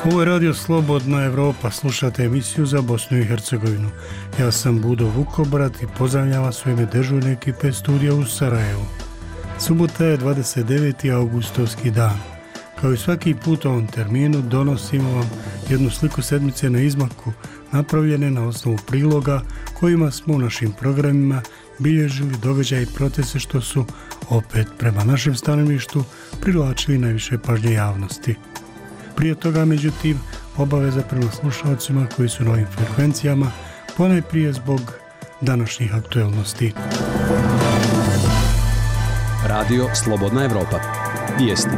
Ovo je Radio Slobodna Evropa, slušate emisiju za Bosnu i Hercegovinu. Ja sam Budo Vukobrat i pozdravljam vas u ime dežurne ekipe studija u Sarajevu. Subota je 29. augustovski dan. Kao i svaki put u ovom terminu donosimo vam jednu sliku sedmice na izmaku, napravljene na osnovu priloga kojima smo u našim programima bilježili događaje i procese što su, opet prema našem stanovištu, privlačili najviše pažnje javnosti. Prije toga, međutim, obaveza prema slušalcima koji su na ovim frekvencijama, ponajprije zbog današnjih aktuelnosti. Radio Slobodna Evropa. Vijesti.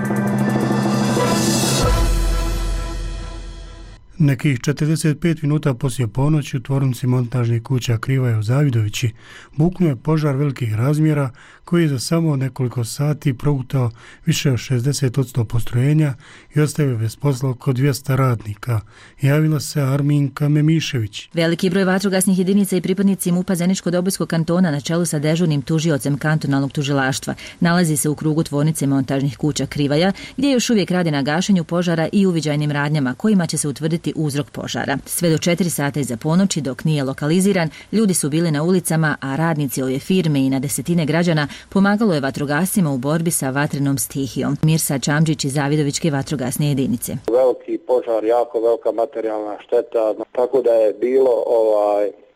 Nekih 45 minuta poslije ponoći u tvornici montažnih kuća Krivaja u Zavidovići buknuo je požar velikih razmjera koji je za samo nekoliko sati progutao više od 60% postrojenja i ostavio bez posla oko 200 radnika. Javila se Arminka Memišević. Veliki broj vatrogasnih jedinica i pripadnici MUP-a Zeničko-Dobojskog kantona na čelu sa dežurnim tužiocem kantonalnog tužilaštva nalazi se u krugu tvornice montažnih kuća Krivaja, gdje još uvijek rade na gašenju požara i uviđajnim radnjama kojima će se utvrditi uzrok požara. Sve do 4 sata iza ponoći, dok nije lokaliziran, ljudi su bili na ulicama, a radnici ove firme i na desetine građana pomagalo je vatrogascima u borbi sa vatrenom stihijom. Mirsa Čamđić iz Zavidovićke vatrogasne jedinice. Veliki požar, jako velika materijalna šteta, tako da je bilo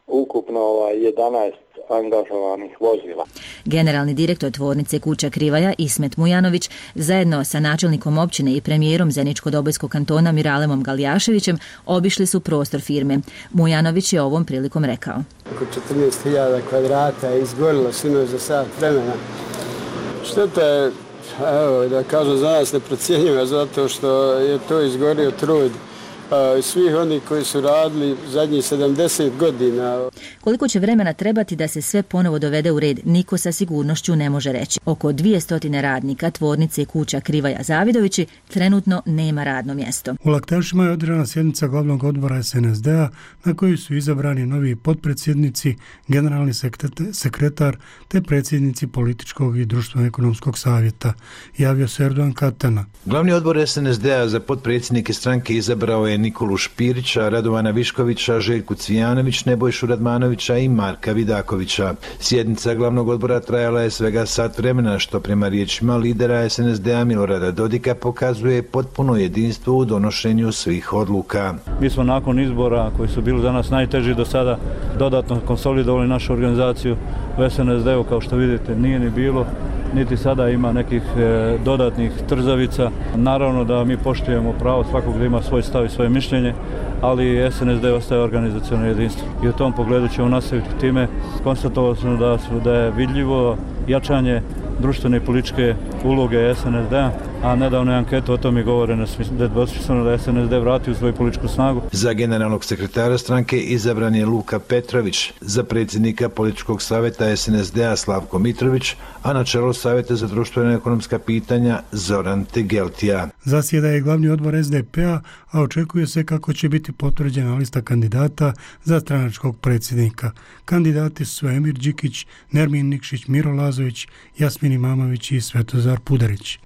ukupno 11 angažovanih vozila. Generalni direktor tvornice kuća Krivaja Ismet Mujanović zajedno sa načelnikom općine i premijerom Zeničko-Dobojskog kantona Miralemom Galjaševićem obišli su prostor firme. Mujanović je ovom prilikom rekao: Oko 14.000 kvadrata je izgorilo sinoć za sat vremena. Šteta je, da kažem, za nas neprocjenjiva, zato što je to izgorio trud svih onih koji su radili zadnjih 70 godina. Koliko će vremena trebati da se sve ponovo dovede u red, niko sa sigurnošću ne može reći. Oko 200 radnika tvornice kuća Krivaja Zavidovići trenutno nema radno mjesto. U Laktašima je održana sjednica glavnog odbora SNSD-a na kojoj su izabrani novi potpredsjednici, generalni sekretar te predsjednici političkog i društveno-ekonomskog savjeta. Javio se Erdogan Katana. Glavni odbor SNSD-a za potpredsjednike stranke izabrao je Nikolu Špirića, Radovana Viškovića, Željku Cvijanović, Nebojšu Radmanovića i Marka Vidakovića. Sjednica glavnog odbora trajala je svega sat vremena, što prema riječima lidera SNSD-a Milorada Dodika pokazuje potpuno jedinstvo u donošenju svih odluka. Mi smo nakon izbora koji su bili za nas najteži do sada dodatno konsolidovali našu organizaciju u SNSD-u, kao što vidite nije ni bilo, niti sada ima nekih dodatnih trzavica. Naravno da mi poštujemo pravo svakog da ima svoj stav i svoje mišljenje, ali SNSD ostaje organizaciono jedinstvo. I u tom pogledu ćemo nastaviti time. Konstatovali smo da je vidljivo jačanje društvene i političke uloge SNSD-a, a nedavne ankete o tome govore da je SNSD vratio svoju političku snagu. Za generalnog sekretara stranke izabran je Luka Petrović, za predsjednika političkog savjeta SNSD-a Slavko Mitrović, a na čelu savjeta za društveno ekonomska pitanja Zoran Tegeltija. Zasjeda je glavni odbor SDP-a, a očekuje se kako će biti potvrđena lista kandidata za stranačkog predsjednika. Kandidati su Emir Đikić, Nermin Nikšić, Miro Lazović, Jasmin Imamović i Svetozar Pudarić.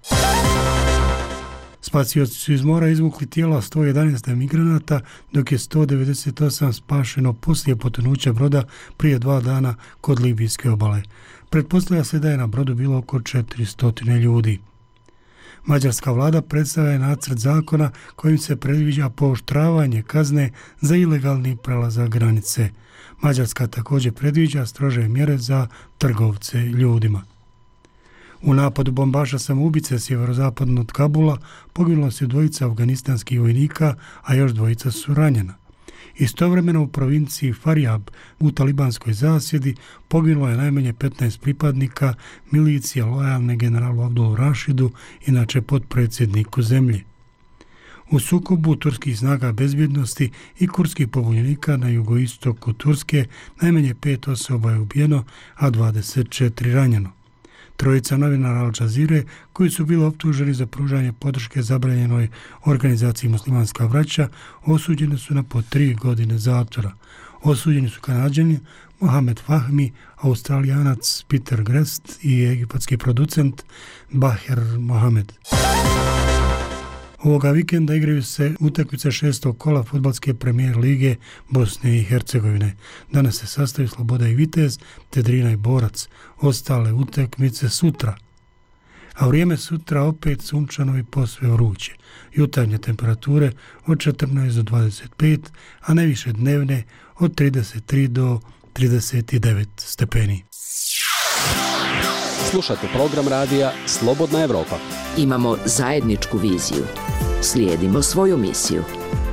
Spasioci su iz mora izvukli tijela 111 migranata, dok je 198 spašeno poslije potonuća broda prije 2 dana kod libijske obale. Pretpostavlja se da je na brodu bilo oko 400 ljudi. Mađarska vlada predstavlja nacrt zakona kojim se predviđa pooštravanje kazne za ilegalni prelazak granice. Mađarska također predviđa strože mjere za trgovce ljudima. U napadu bombaša samoubice sjeverozapadno od Kabula poginulo se 2 afganistanskih vojnika, a još 2 su ranjena. Istovremeno u provinciji Faryab u talibanskoj zasjedi poginulo je najmanje 15 pripadnika milicije lojalne generalu Abdul Rašidu, inače potpredsjedniku zemlje. U sukobu turskih snaga bezbjednosti i kurdskih pobunjenika na jugoistoku Turske najmanje 5 osoba je ubijeno, a 24 ranjeno. 3 novinara Al Jazeere koji su bili optuženi za pružanje podrške zabranjenoj organizaciji Muslimanska braća osuđeni su na po 3 godine zatvora. Osuđeni su Kanađani Mohamed Fahmi, Australijanac Peter Grest i egipatski producent Baher Mohamed. Ovoga vikenda igraju se utakmice 6. kola fudbalske premijer lige Bosne i Hercegovine. Danas se sastaju Sloboda i Vitez, te Drina i Borac. Ostale utakmice sutra. A vrijeme sutra opet sunčano i posve vruće. Jutarnje temperature od 14 do 25, a najviše dnevne od 33 do 39 stepeni. Slušate program radija Slobodna Evropa. Imamo zajedničku viziju. Slijedimo svoju misiju.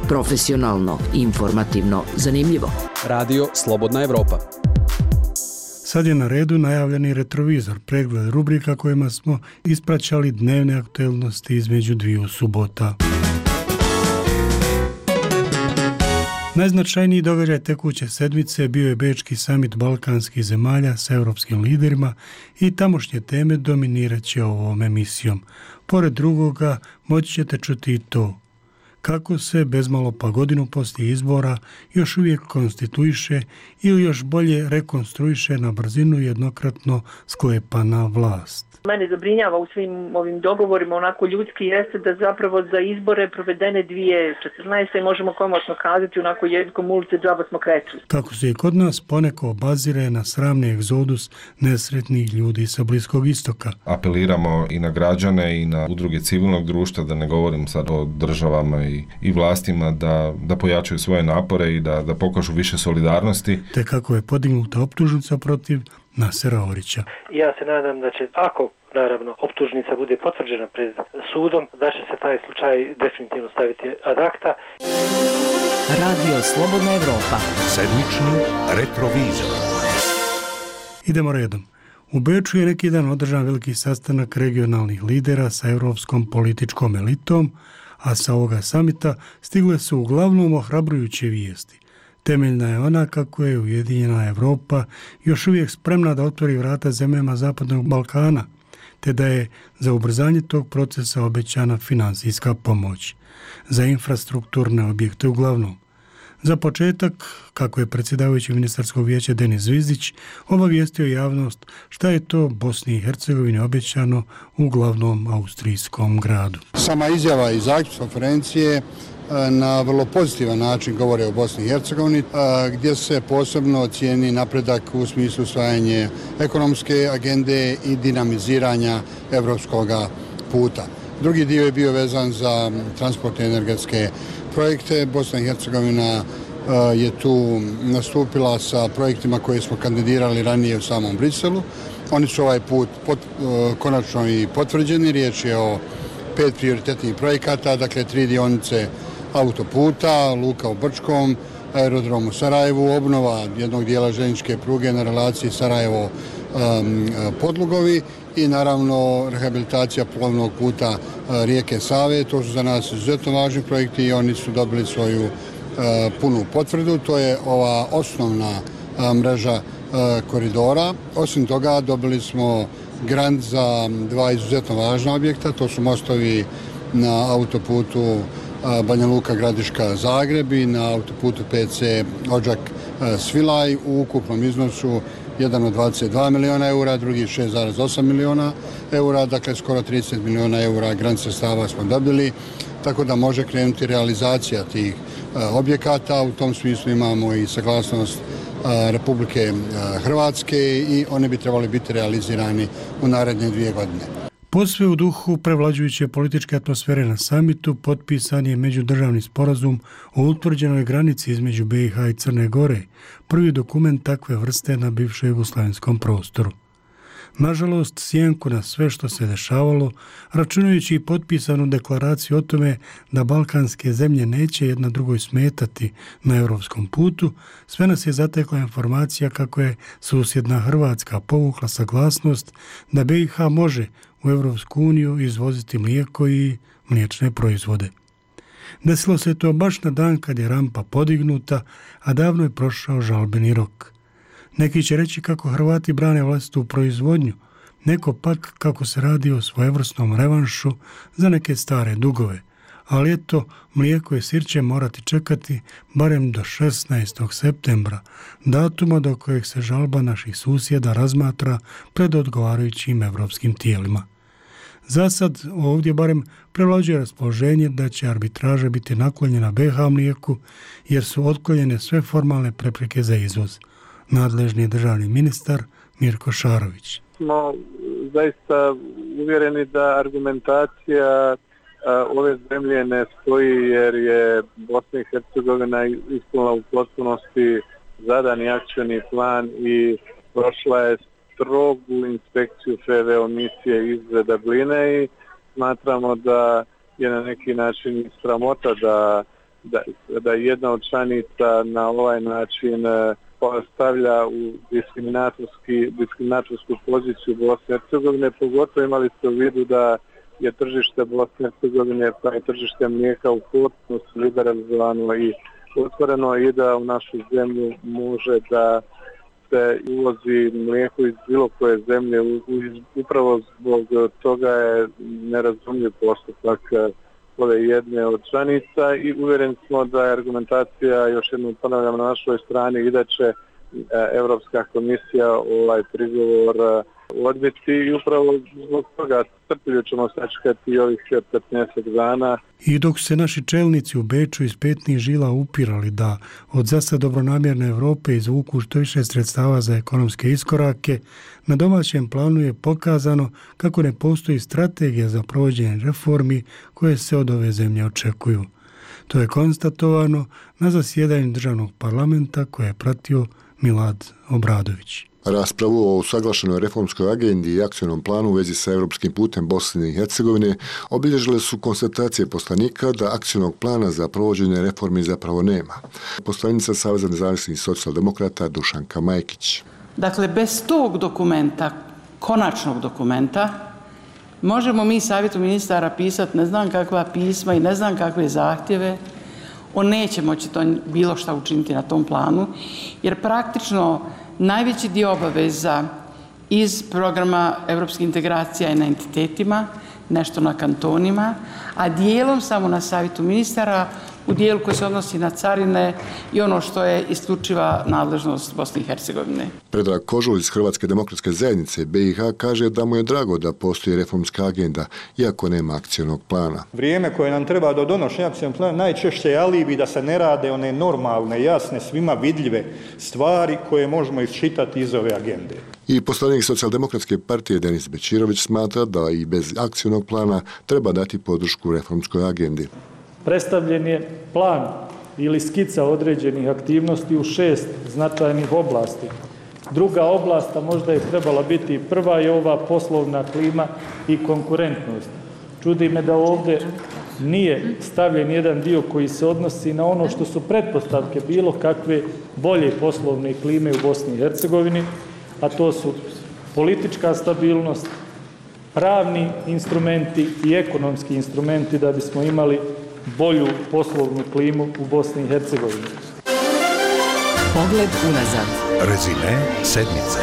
Profesionalno, informativno, zanimljivo. Radio Slobodna Evropa. Sad je na redu najavljeni retrovizor, pregled rubrika kojima smo ispraćali dnevne aktuelnosti između dviju subota. Najznačajniji događaj tekuće sedmice bio je Bečki samit balkanskih zemalja sa europskim liderima i tamošnje teme dominirat će ovom emisijom. Pored drugoga moći ćete čuti i to kako se bezmalo pa godinu poslije izbora još uvijek konstituiše ili još bolje rekonstruiše na brzinu jednokratno sklepana vlast. Mene zabrinjava u svim ovim dogovorima onako ljudski jeste da zapravo za izbore provedene 2014. možemo komotno kazati onako jezikom ulice džaba smo kretili. Tako se i kod nas poneko obazire na sramni egzodus nesretnih ljudi sa Bliskog istoka. Apeliramo i na građane i na udruge civilnog društva, da ne govorim sad o državama i vlastima, da pojačaju svoje napore i da pokažu više solidarnosti. Te kako je podignuta optužnica protiv Nasera Orića. Ja se nadam da će, ako naravno optužnica bude potvrđena pred sudom, da će se taj slučaj definitivno staviti ad acta. Radio Slobodna Evropa. Sedmični retrovizor. Idemo redom. U Beču je neki dan održan veliki sastanak regionalnih lidera sa europskom političkom elitom, a sa ovoga samita stigle su uglavnom ohrabrujuće vijesti. Temeljna je ona kako je Ujedinjena Evropa još uvijek spremna da otvori vrata zemljama Zapadnog Balkana, te da je za ubrzanje tog procesa obećana financijska pomoć. Za infrastrukturne objekte uglavnom. Za početak, kako je predsjedavajući ministarskog vijeća Denis Zvizdić obavijestio javnost šta je to Bosni i Hercegovini obećano u glavnom austrijskom gradu. Sama izjava i zaključak konferencije na vrlo pozitivan način govore o Bosni i Hercegovini, gdje se posebno cijeni napredak u smislu usvajanja ekonomske agende i dinamiziranja evropskog puta. Drugi dio je bio vezan za transportne energetske projekte. Bosna i Hercegovina je tu nastupila sa projektima koje smo kandidirali ranije u samom Briselu. Oni su ovaj put konačno i potvrđeni. Riječ je o 5 prioritetnih projekata, dakle 3 dionice autoputa, luka u Brčkom, aerodrom u Sarajevu, obnova jednog dijela željezničke pruge na relaciji Sarajevo-Podlugovi i naravno rehabilitacija plovnog puta rijeke Save. To su za nas izuzetno važni projekti i oni su dobili svoju punu potvrdu. To je ova osnovna mreža koridora. Osim toga dobili smo grant za 2 izuzetno važna objekta. To su mostovi na autoputu Banja Luka Gradiška Zagreb i na autoputu PC Odžak Svilaj u ukupnom iznosu jedan od 22 miliona eura, drugi 6,8 miliona eura, dakle skoro 30 miliona eura grant sredstava smo dobili, tako da može krenuti realizacija tih objekata. U tom smislu imamo i saglasnost Republike Hrvatske i oni bi trebali biti realizirani u naredne 2 godine. Posve u duhu prevlađujuće političke atmosfere na samitu potpisan je međudržavni sporazum o utvrđenoj granici između BiH i Crne Gore, prvi dokument takve vrste na bivšem jugoslavenskom prostoru. Nažalost, sjenku na sve što se dešavalo, računajući i potpisanu deklaraciju o tome da balkanske zemlje neće jedna drugoj smetati na europskom putu, sve nas je zatekla informacija kako je susjedna Hrvatska povukla saglasnost da BiH može u Europsku uniju izvoziti mlijeko i mliječne proizvode. Desilo se to baš na dan kad je rampa podignuta, a davno je prošao žalbeni rok. Neki će reći kako Hrvati brane vlastitu proizvodnju, neko pak kako se radi o svojevrsnom revanšu za neke stare dugove, ali eto, mlijeko i sir će morati čekati barem do 16. septembra, datuma do kojeg se žalba naših susjeda razmatra pred odgovarajućim evropskim tijelima. Za sad ovdje barem prevlađuje raspoloženje da će arbitraža biti naklonjena BiH mlijeku jer su otklonjene sve formalne prepreke za izvoz. Nadležni državni ministar Mirko Šarović. Smo zaista uvjereni da argumentacija ove zemlje ne stoji jer je Bosna i Hercegovina ispunila u potpunosti zadani akcioni plan i prošla je strogu inspekciju FVO misije iz Dubline i smatramo da je na neki način sramota da jedna od članica na ovaj način stavlja u diskriminatorsku poziciju Bosne i Hercegovine, pogotovo imali ste u vidu da je tržište Bosne i Hercegovine pa i tržište mlijeka u potpunosti liberalizovano i otvoreno i da u našu zemlju može da se uvozi mlijeko iz bilo koje zemlje. Upravo zbog toga je nerazumljiv postupak ove jedne od članica i uvjereni smo da je argumentacija, još jednom ponavljam, na našoj strani i da će Europska komisija ovaj prigovor odbiti i upravo zbog toga strpljivo ćemo sačekati ovih 15 dana. I dok se naši čelnici u Beču iz petnih žila upirali da od zasad dobronamjerne Europe izvuku što više sredstava za ekonomske iskorake, na domaćem planu je pokazano kako ne postoji strategija za provođenje reformi koje se od ove zemlje očekuju. To je konstatovano na zasjedanju državnog parlamenta koje je pratio Milad Obradović. Raspravu o usaglašenoj reformskoj agendi i akcionom planu u vezi sa europskim putem Bosne i Hercegovine obilježile su konstatacije poslanika da akcionog plana za provođenje reformi zapravo nema. Poslanica Saveza nezavisnih socijaldemokrata Dušanka Majkić. Dakle, bez tog dokumenta, konačnog dokumenta, možemo mi Savjetu ministara pisati ne znam kakva pisma i ne znam kakve zahtjeve, on neće moći to bilo šta učiniti na tom planu, jer praktično najveći dio obaveza iz programa europskih integracija je na entitetima, nešto na kantonima, a dijelom samo na Savjetu ministara u dijelu koji se odnosi na carine i ono što je isključiva nadležnost Bosne i Hercegovine. Predrag Kožul iz Hrvatske demokratske zajednice BiH kaže da mu je drago da postoji reformska agenda, iako nema akcionog plana. Vrijeme koje nam treba do donošenja akcionog plana najčešće je alibi da se ne rade one normalne, jasne, svima vidljive stvari koje možemo iščitati iz ove agende. I poslanik Socijaldemokratske partije Denis Bećirović smatra da i bez akcionog plana treba dati podršku reformskoj agendi. Predstavljen je plan ili skica određenih aktivnosti u 6 značajnih oblasti. Druga oblast, a možda je trebala biti prva, je ova poslovna klima i konkurentnost. Čudi me da ovdje nije stavljen jedan dio koji se odnosi na ono što su pretpostavke bilo kakve bolje poslovne klime u Bosni i Hercegovini, a to su politička stabilnost, pravni instrumenti i ekonomski instrumenti da bismo imali bolju poslovnu klimu u Bosni i Hercegovini. Pogled unazad. Rezime sedmice.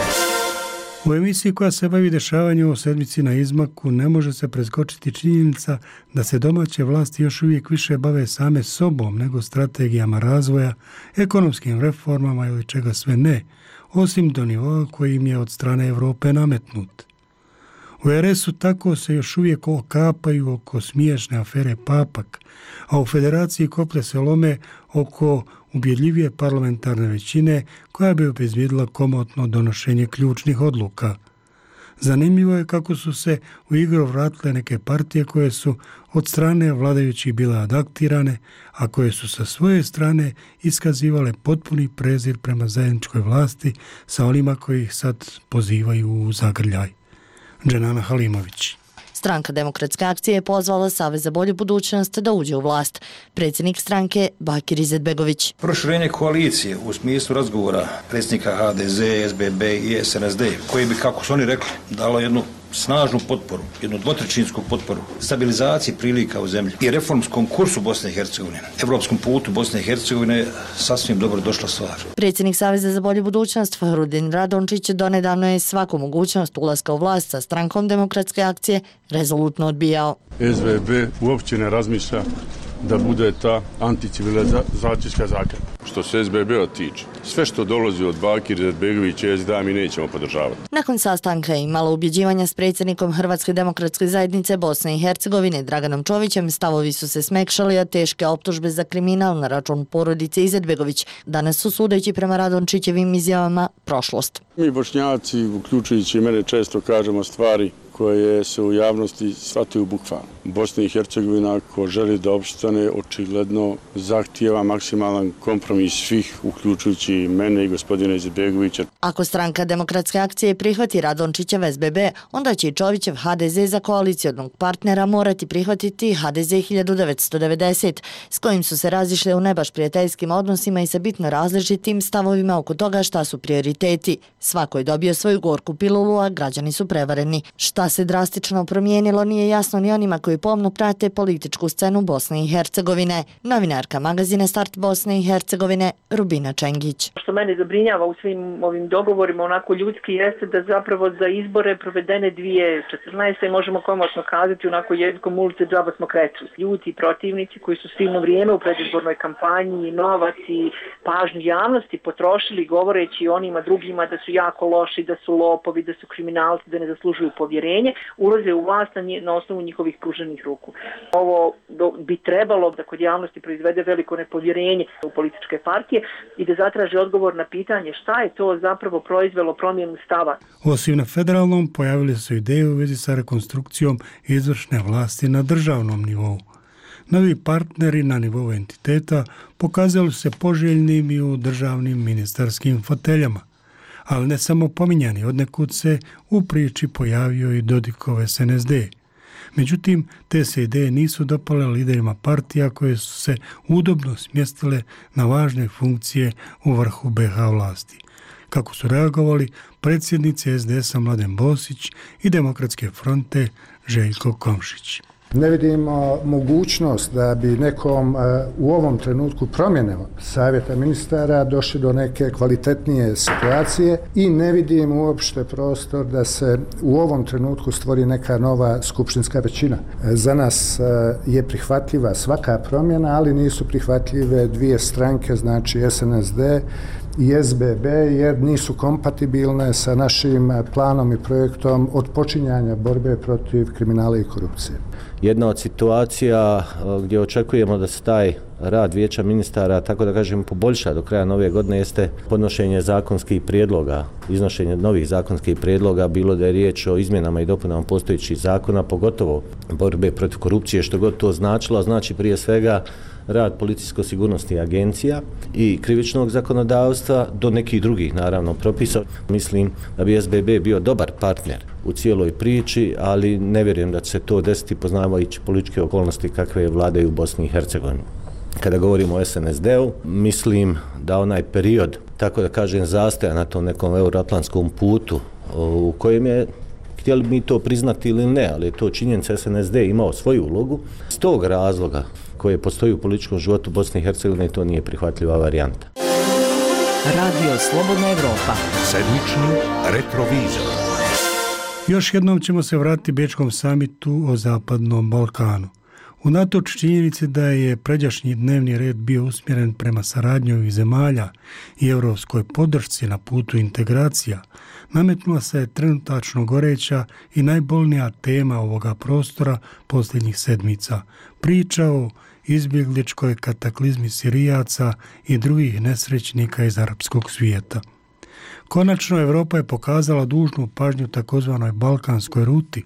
U emisiji koja se bavi dešavanju o sedmici na izmaku ne može se preskočiti činjenica da se domaće vlasti još uvijek više bave same sobom nego strategijama razvoja, ekonomskim reformama ili čega sve ne, osim do nivoa koji im je od strane Europe nametnut. U RS-u tako se još uvijek okapaju oko smiješne afere Papak, a u Federaciji koplje se lome oko ubjedljivije parlamentarne većine koja bi obezbijedila komotno donošenje ključnih odluka. Zanimljivo je kako su se u igru vratile neke partije koje su od strane vladajućih bile adaptirane, a koje su sa svoje strane iskazivale potpuni prezir prema zajedničkoj vlasti sa onima koji ih sad pozivaju u zagrljaj. Dženana Halimović. Stranka Demokratske akcije je pozvala Savez za bolju budućnost da uđe u vlast. Predsjednik stranke Bakir Izetbegović. Proširenje koalicije u smislu razgovora predsjednika HDZ, SBB i SNSD, koji bi, kako su oni rekli, dalo jednu snažnu potporu, jednu dvotrećinsku potporu stabilizaciji prilika u zemlji i reformskom kursu Bosne i Hercegovine, evropskom putu Bosne i Hercegovine, sasvim dobro došla stvar. Predsjednik Saveza za bolju budućnost Fahrudin Radončić donedavno je svaku mogućnost ulaska u vlast sa strankom Demokratske akcije rezolutno odbijao. SBB uopće ne razmišlja da bude ta anticivilizacijska zakon. Što se SBB-a tiče, sve što dolazi od Bakira Izetbegovića i SDA mi nećemo podržavati. Nakon sastanka je imalo ubjeđivanja s predsjednikom Hrvatske demokratske zajednice Bosne i Hercegovine Draganom Čovićem, stavovi su se smekšali, a teške optužbe za kriminal na račun porodice Izetbegović danas su, sudeći prema Radončićevim izjavama, prošlost. Mi Bošnjaci, uključujući i mene, često kažemo stvari koje se u javnosti shvataju bukvalno. Bosna i Hercegovina, ako želi da opstane, očigledno zahtijeva maksimalan kompromis svih, uključujući i mene i gospodina Izetbegovića. Ako stranka Demokratske akcije prihvati Radončićev SBB, onda će i Čovićev HDZ za koalicijonog partnera morati prihvatiti HDZ 1990, s kojim su se razišle u nebaš prijateljskim odnosima i sa bitno različitim stavovima oko toga šta su prioriteti. Svako je dobio svoju gorku pilulu, a građani su prevareni. Šta se drastično promijenilo nije jasno ni onima koji pomno prate političku scenu Bosne i Hercegovine. Novinarka magazina Start Bosne i Hercegovine Rubina Čengić. Što mene zabrinjava u svim ovim dogovorima onako ljudski jeste da zapravo za izbore provedene 2014. možemo komotno kazati onako jezikom ulice džaba smo kretuli. Ljuti protivnici koji su silno vrijeme u predizbornoj kampanji, novac i pažnju javnosti potrošili govoreći onima drugima da su jako loši, da su lopovi, da su kriminalci, da ne zaslužuju povjerenje, ulaze u vlast na osnovu njihovih pruženih ruku. Ovo bi trebalo da kod javnosti proizvede veliko nepovjerenje u političke partije i da zatraži odgovor na pitanje šta je to zapravo proizvelo promjenu stava. Osim na federalnom, pojavile su ideje u vezi sa rekonstrukcijom izvršne vlasti na državnom nivou. Novi partneri na nivou entiteta pokazali se poželjnim i u državnim ministarskim foteljama. Ali ne samo pominjani, odnekud se u priči pojavio i Dodikov SNSD. Međutim, te se ideje nisu dopale liderima partija koje su se udobno smjestile na važne funkcije u vrhu BiH vlasti. Kako su reagovali predsjednici SDS-a Mladen Bosić i Demokratske fronte Željko Komšić. Ne vidimo mogućnost da bi nekom u ovom trenutku promjene savjeta ministara došli do neke kvalitetnije situacije i ne vidim uopšte prostor da se u ovom trenutku stvori neka nova skupštinska većina. Za nas je prihvatljiva svaka promjena, ali nisu prihvatljive dvije stranke, znači SNSD i SBB, jer nisu kompatibilne sa našim planom i projektom odpočinjanja borbe protiv kriminala i korupcije. Jedna od situacija gdje očekujemo da se taj rad vijeća ministara, tako da kažem, poboljša do kraja nove godine jeste podnošenje zakonskih prijedloga, iznošenje novih zakonskih prijedloga, bilo da je riječ o izmjenama i dopunama postojećih zakona, pogotovo borbe protiv korupcije, što god to značilo, znači prije svega rad policijsko-sigurnosnih agencija i krivičnog zakonodavstva do nekih drugih, naravno, propisa. Mislim da bi SBB bio dobar partner u cijeloj priči, ali ne vjerujem da će se to desiti poznavajući političke okolnosti kakve vladaju u Bosni i Hercegovini. Kada govorimo o SNSD-u, mislim da onaj period, tako da kažem, zastoja na tom nekom euroatlantskom putu u kojem je, htjeli mi to priznati ili ne, ali je to činjenica, SNSD imao svoju ulogu. S tog razloga koje postoji u političkom životu Bosne i Hercegovine, to nije prihvatljiva varijanta. Radio Slobodna Evropa. Sedmični retrovizor. Još jednom ćemo se vratiti Bečkom samitu o Zapadnom Balkanu. Unatoč činjenici da je pređašnji dnevni red bio usmjeren prema saradnji ovih zemalja i europskoj podršci na putu integracija, nametnula se trenutačno goreća i najbolnija tema ovoga prostora posljednjih sedmica. Priča o izbjegličkoj kataklizmi Sirijaca i drugih nesrećnika iz arapskog svijeta. Konačno Europa je pokazala dužnu pažnju takozvanoj balkanskoj ruti,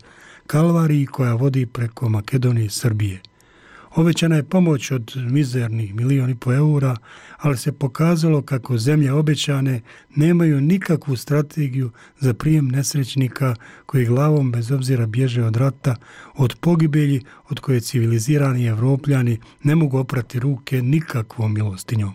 kalvariji koja vodi preko Makedonije i Srbije. Obećana je pomoć od mizernih 1,5 milijuna eura, ali se pokazalo kako zemlje obećane nemaju nikakvu strategiju za prijem nesrećnika koji glavom bez obzira bježe od rata, od pogibelji od koje civilizirani Evropljani ne mogu oprati ruke nikakvom milostinjom.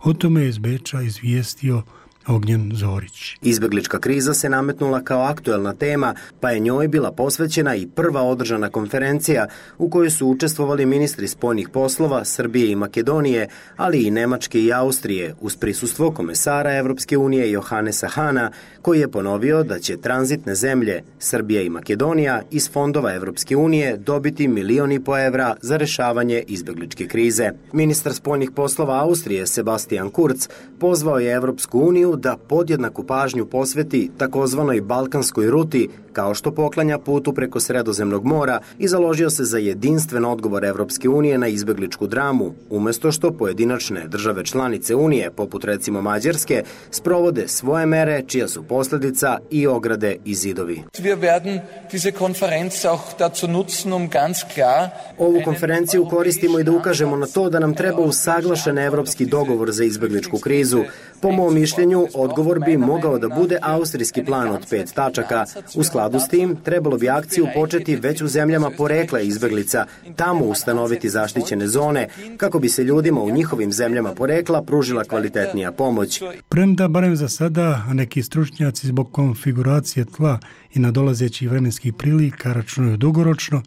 O tome je iz Beča izvijestio Ognjen Zorić. Izbjeglička kriza se nametnula kao aktuelna tema, pa je njoj bila posvećena i prva održana konferencija u kojoj su učestvovali ministri spoljnih poslova Srbije i Makedonije, ali i Nemačke i Austrije, uz prisustvo komesara Evropske unije Johannesa Hahna, koji je ponovio da će tranzitne zemlje Srbija i Makedonija iz fondova Evropske unije dobiti 1,5 miliona evra za rešavanje izbjegličke krize. Ministar spoljnih poslova Austrije Sebastian Kurz pozvao je Evropsku uniju da podjednaku pažnju posveti takozvanoj balkanskoj ruti, kao što poklanja putu preko Sredozemnog mora, i založio se za jedinstven odgovor Evropske unije na izbjegličku dramu, umjesto što pojedinačne države članice Unije, poput recimo Mađarske, sprovode svoje mere čija su posljedica i ograde i zidovi. Ovu konferenciju koristimo i da ukažemo na to da nam treba usaglašen evropski dogovor za izbjegličku krizu. Po mom mišljenju, odgovor bi mogao da bude austrijski plan od 5 tačaka. U skladu s tim, trebalo bi akciju početi već u zemljama porekla izbjeglica, tamo ustanoviti zaštićene zone, kako bi se ljudima u njihovim zemljama porekla pružila kvalitetnija pomoć. Premda, barem za sada, neki stručnjaci zbog konfiguracije tla i nadolazećih vremenskih prilika računaju dugoročno,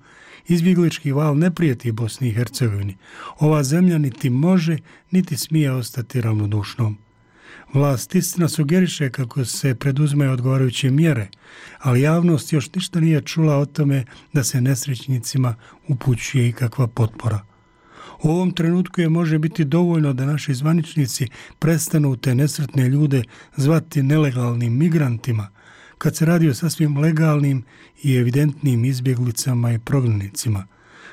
izbjeglički val ne prijeti Bosni i Hercegovini. Ova zemlja niti može, niti smije ostati ravnodušnom. Vlast istina sugeriše kako se preduzmaju odgovarajuće mjere, ali javnost još ništa nije čula o tome da se nesrećnicima upućuje ikakva potpora. U ovom trenutku je može biti dovoljno da naši zvaničnici prestanu te nesretne ljude zvati nelegalnim migrantima, kad se radi o sasvim legalnim i evidentnim izbjeglicama i prognanicima.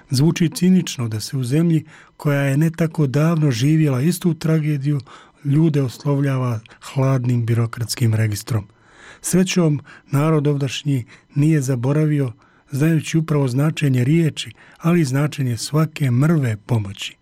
Zvuči cinično da se u zemlji koja je ne tako davno živjela istu tragediju ljude oslovljava hladnim birokratskim registrom. Srećom, narod ovdašnji nije zaboravio, znajući upravo značenje riječi, ali i značenje svake mrve pomoći.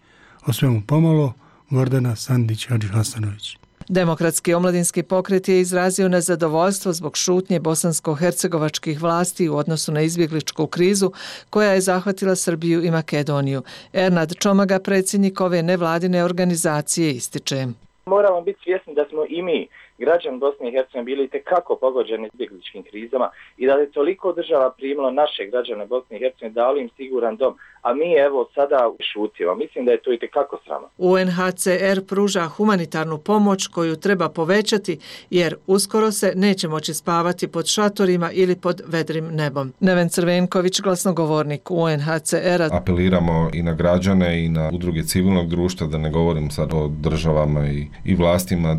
O svemu pomalo, Gordana Sandić-Hadžihasanović. Demokratski omladinski pokret je izrazio nezadovoljstvo zbog šutnje bosansko-hercegovačkih vlasti u odnosu na izbjegličku krizu koja je zahvatila Srbiju i Makedoniju. Ernad Čomaga, predsjednik ove nevladine organizacije, ističe. Moramo biti svjesni da smo i mi, građani Bosne i Hercegovine, bili itekako pogođeni izbjegličkim krizama i da je toliko država primilo naše građane Bosne i Hercegovine, dali im siguran dom, a mi evo sada šutimo. Mislim da je to itekako sramno. UNHCR pruža humanitarnu pomoć koju treba povećati jer uskoro se neće moći spavati pod šatorima ili pod vedrim nebom. Neven Crvenković, glasnogovornik UNHCR-a. Apeliramo i na građane i na udruge civilnog društva, da ne govorim sad o državama i vlastima,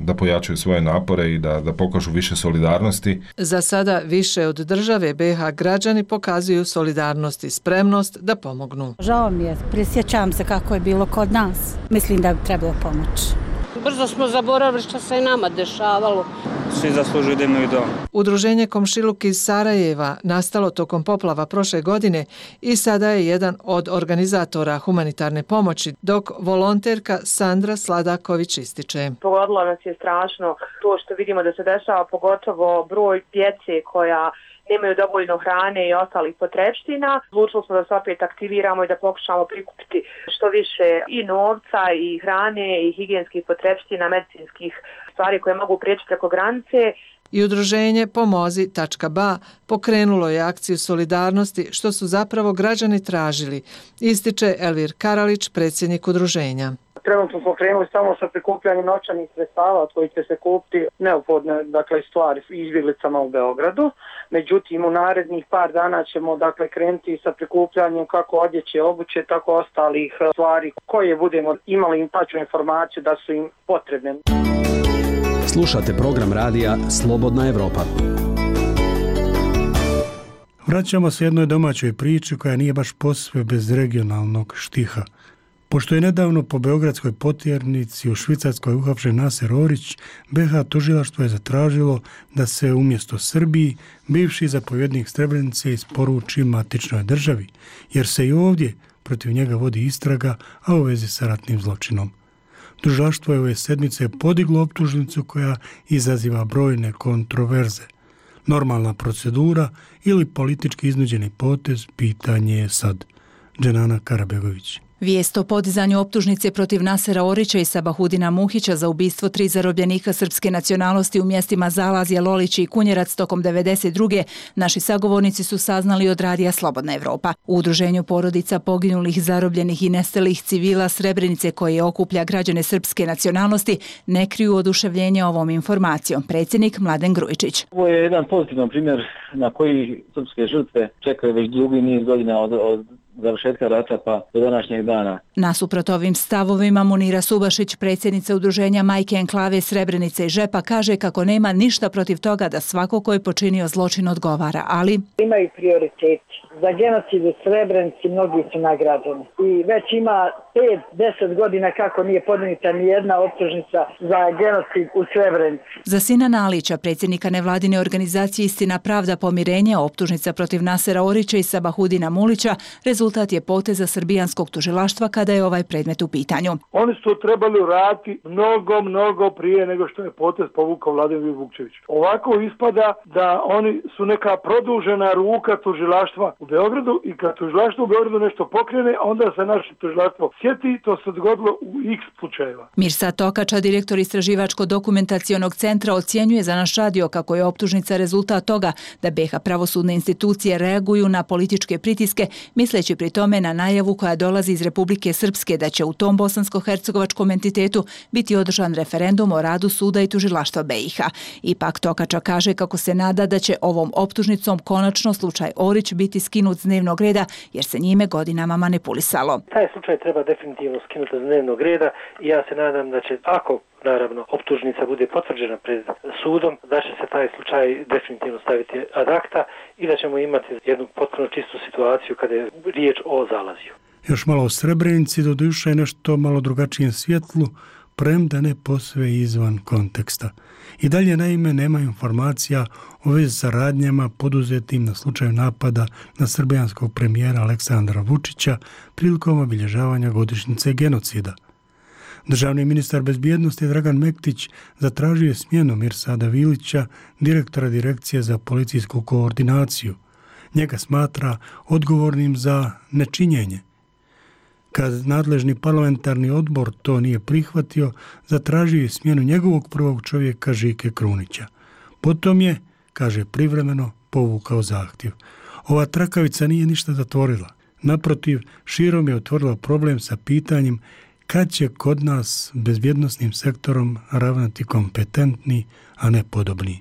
da pojačaju svoje napore i da pokažu više solidarnosti. Za sada više od države BiH građani pokazuju solidarnost i spremnost da pomognu. Žao mi je, prisjećam se kako je bilo kod nas. Mislim da bi trebalo pomoći. Brzo smo zaboravili što se i nama dešavalo. Svi zaslužuju da imaju dom. Udruženje Komšiluk iz Sarajeva nastalo tokom poplava prošle godine i sada je jedan od organizatora humanitarne pomoći, dok volonterka Sandra Sladaković ističe. Pogodilo nas je strašno to što vidimo da se dešava, pogotovo broj djece koja nemaju dovoljno hrane i ostalih potrepština. Odlučili smo da se opet aktiviramo i da pokušamo prikupiti što više i novca i hrane i higijenskih potrepština, medicinskih stvari koje mogu prijeći preko granice. I udruženje Pomozi.ba pokrenulo je akciju solidarnosti što su zapravo građani tražili, ističe Elvir Karalić, predsjednik udruženja. Trenutno smo krenuli samo sa prikupljanjem novčanih sredstava od kojih će se kupiti neophodne stvari izbjeglicama u Beogradu. Međutim, u narednih par dana ćemo krenuti sa prikupljanjem kako odjeće, obuće, tako ostalih stvari koje budemo imali tačnu informaciju da su im potrebne. Slušate program radija Slobodna Evropa. Vraćamo se jednoj domaćoj priči koja nije baš posve bez regionalnog štiha. Pošto je nedavno po beogradskoj potjernici u Švicarskoj uhapšen Naser Orić, BiH tužilaštvo je zatražilo da se umjesto Srbiji bivši zapovjednik Srebrenice isporuči matičnoj državi, jer se i ovdje protiv njega vodi istraga, a u vezi sa ratnim zločinom. Tužilaštvo je ove sedmice podiglo optužnicu koja izaziva brojne kontroverze. Normalna procedura ili politički iznuđeni potez, pitanje je sad. Dženana Karabegović. Vijest o podizanju optužnice protiv Nasera Orića i Sabahudina Muhića za ubistvo 3 zarobljenika srpske nacionalnosti u mjestima Zalazje, Lolić i Kunjerac tokom 92. naši sagovornici su saznali od radija Slobodna Evropa. U udruženju porodica poginulih, zarobljenih i nestalih civila Srebrenice, koje okuplja građane srpske nacionalnosti, ne kriju oduševljenje ovom informacijom. Predsjednik Mladen Grujičić. Ovo je jedan pozitivan primjer na koji srpske žrtve čekaju već dugi niz godina od završetka rata pa do današnjeg dana. Nasuprot ovim stavovima Munira Subašić, predsjednica udruženja Majke Enklave Srebrenice i Žepa, kaže kako nema ništa protiv toga da svako ko je počinio zločin odgovara, ali imaju prioritet. Za genocid u Srebrenici mnogi su nagrađeni. I već ima 5-10 godina kako nije podnijeta ni jedna optužnica za genocid u Srebrenici. Za Sinana Alića, predsjednika nevladine organizacije Istina, pravda, pomirenje, optužnica protiv Nasera Orića i Sabahudina Mulića rezultat je poteza srbijanskog tužilaštva kada je ovaj predmet u pitanju. Oni su to trebali uraditi mnogo prije nego što je potez povukao Vladimir Vukčević. Ovako ispada da oni su neka produžena ruka tužilaštva u Beogradu i kad tužilaštvo u Beogradu nešto pokrene, onda se naše tužilaštvo sjeti, to se dogodilo u x slučajeva. Mirsad Tokača, direktor Istraživačko-dokumentacionog centra, ocjenjuje za naš radio kako je optužnica rezultat toga da BiH pravosudne institucije reaguju na političke pritiske, misleći pri tome na najavu koja dolazi iz Republike Srpske da će u tom bosansko-hercegovačkom entitetu biti održan referendum o radu suda i tužilaštva BiH. Ipak Tokača kaže kako se nada da će ovom optužnicom konačno slučaj Orić biti skinut s dnevnog reda jer se njime godinama manipulisalo. Taj slučaj treba definitivno skinuti s dnevnog reda i ja se nadam da će, ako naravno optužnica bude potvrđena pred sudom, da će se taj slučaj definitivno staviti ad acta i da ćemo imati jednu potpuno čistu situaciju kada je riječ o Zalazju. Još malo o Srebrenici, doduše nešto malo drugačijem svjetlu, premda ne posve izvan konteksta. I dalje naime nema informacija o vezi sa radnjama poduzetim na slučaju napada na srbijanskog premijera Aleksandra Vučića prilikom obilježavanja godišnjice genocida. Državni ministar bezbjednosti Dragan Mektić zatražio je smjenu Mirsada Vilića, direktora Direkcije za policijsku koordinaciju. Njega smatra odgovornim za nečinjenje. Kad nadležni parlamentarni odbor to nije prihvatio, zatražio je smjenu njegovog prvog čovjeka Žike Krunića. Potom je, kaže, privremeno povukao zahtjev. Ova trakavica nije ništa zatvorila. Naprotiv, širom je otvorila problem sa pitanjem kad će kod nas bezbjednosnim sektorom ravnati kompetentni, a ne podobni.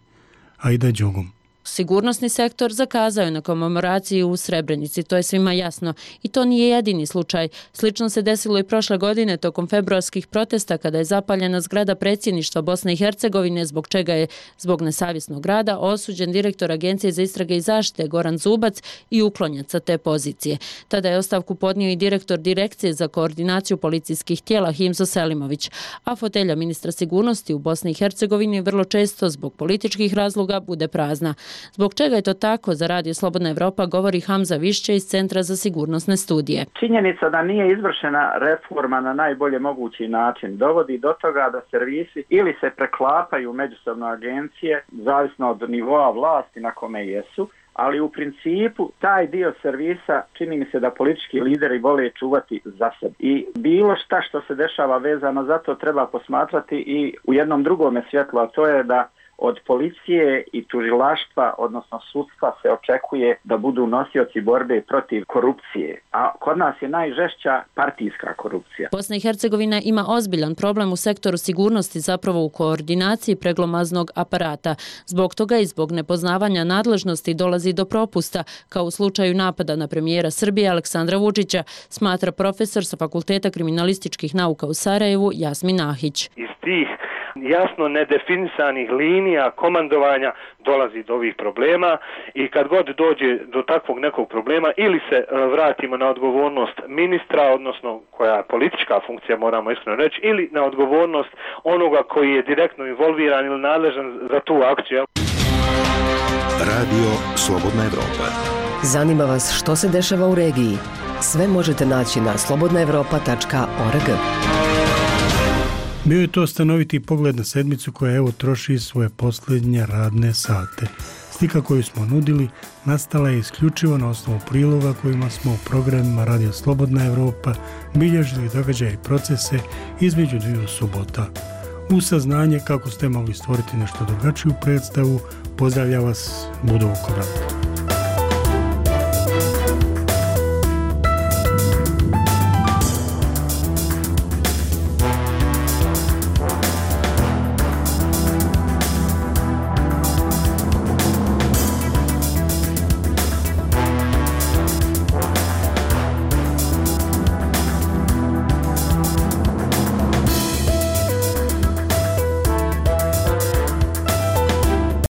Ajde Đogum. Sigurnosni sektor zakazao je na komemoraciji u Srebrenici, to je svima jasno. I to nije jedini slučaj. Slično se desilo i prošle godine tokom februarskih protesta kada je zapaljena zgrada predsjedništva Bosne i Hercegovine, zbog čega je zbog nesavjesnog rada osuđen direktor Agencije za istrage i zaštite Goran Zubac i uklonjen sa te pozicije. Tada je ostavku podnio i direktor Direkcije za koordinaciju policijskih tijela Himzo Selimović, a fotelja ministra sigurnosti u Bosni i Hercegovini vrlo često zbog političkih razloga bude prazna. Zbog čega je to tako, za Radio Slobodna Evropa govori Hamza Višće iz Centra za sigurnosne studije. Činjenica da nije izvršena reforma na najbolje mogući način dovodi do toga da servisi ili se preklapaju međusobno agencije, zavisno od nivoa vlasti na kome jesu, ali u principu taj dio servisa čini mi se da politički lideri vole čuvati za sebe. I bilo šta što se dešava vezano za to treba posmatrati i u jednom drugome svjetlu, a to je da od policije i tužilaštva, odnosno sudstva, se očekuje da budu nosioci borbe protiv korupcije. A kod nas je najžešća partijska korupcija. Bosna i Hercegovina ima ozbiljan problem u sektoru sigurnosti, zapravo u koordinaciji preglomaznog aparata. Zbog toga i zbog nepoznavanja nadležnosti dolazi do propusta, kao u slučaju napada na premijera Srbije Aleksandra Vučića, smatra profesor sa Fakulteta kriminalističkih nauka u Sarajevu Jasmin Ahić. Iz tih jasno nedefinisanih linija komandovanja dolazi do ovih problema i kad god dođe do takvog nekog problema ili se vratimo na odgovornost ministra, odnosno koja je politička funkcija, moramo iskreno reći, ili na odgovornost onoga koji je direktno involviran ili nadležan za tu akciju. Radio Slobodna Evropa. Zanima vas što se dešava u regiji? Sve možete naći na slobodnaevropa.org. Bio je to stanoviti pogled na sedmicu koja evo troši svoje posljednje radne sate. Slika koju smo nudili nastala je isključivo na osnovu priloga kojima smo u programima Radio Slobodna Evropa bilježili događaje i procese između dviju subota. U saznanje kako ste mogli stvoriti nešto drugačiju predstavu, pozdravlja vas Budo Vukobrad.